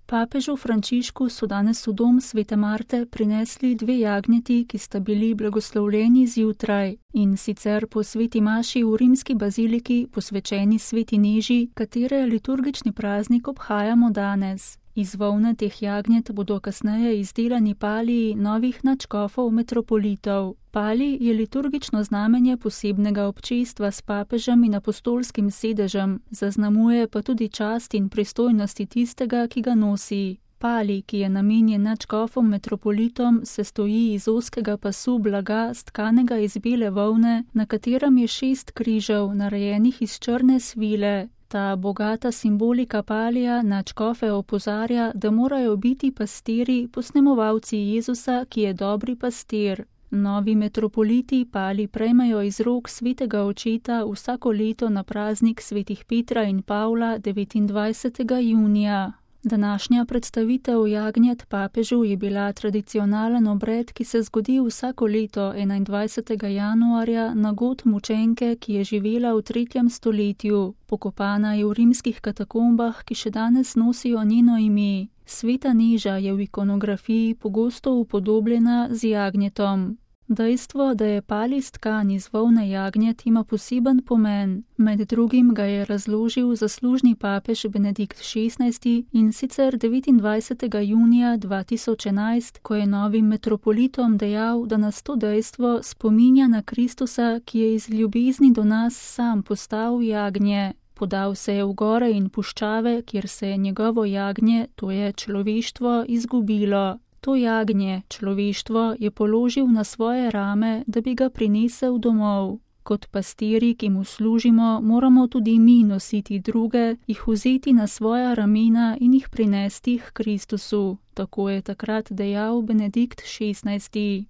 Papežu Frančišku so danes v dom Svete Marte prinesli 2 jagnjeti, ki sta bili blagoslovljeni zjutraj, in sicer po sveti maši v rimski baziliki posvečeni sveti Neži, katere liturgični praznik obhajamo danes. Iz volne teh jagnjet bodo kasneje izdelani paliji novih nadškofov metropolitov. Palij je liturgično znamenje posebnega občestva s papežem in apostolskim sedežem, zaznamuje pa tudi čast in pristojnosti tistega, ki ga nosi. Palij, ki je namenjen nadškofom metropolitom, sestoji iz ozkega pasu blaga, stkanega iz bele volne, na katerem je 6 križev, narejenih iz črne svile. Ta bogata simbolika palija nadškofe opozarja, da morajo biti pastirji posnemovalci Jezusa, ki je dobri pastir. Novi metropoliti palij prejmejo iz rok svetega očeta vsako leto na praznik svetih Petra in Pavla 29. junija. Današnja predstavitev jagnjet papežu je bila tradicionalen obred, ki se zgodi vsako leto 21. januarja na god mučenke, ki je živela v 3. stoletju. Pokopana je v rimskih katakombah, ki še danes nosijo njeno ime. Sveta Neža je v ikonografiji pogosto upodobljena z jagnjetom. Dejstvo, da je palij stkan iz volne jagnjet, ima poseben pomen. Med drugim ga je razložil zaslužni papež Benedikt XVI in sicer 29. junija 2011, ko je novim metropolitom dejal, da nas to dejstvo spominja na Kristusa, ki je iz ljubezni do nas sam postal jagnje. Podal se je v gore in puščave, kjer se je njegovo jagnje, to je človeštvo, izgubilo. To jagnje, človeštvo, je položil na svoje rame, da bi ga prinesel domov. Kot pastirji, ki mu služimo, moramo tudi mi nositi druge, jih vzeti na svoja ramena in jih prinesti k Kristusu. Tako je takrat dejal Benedikt XVI.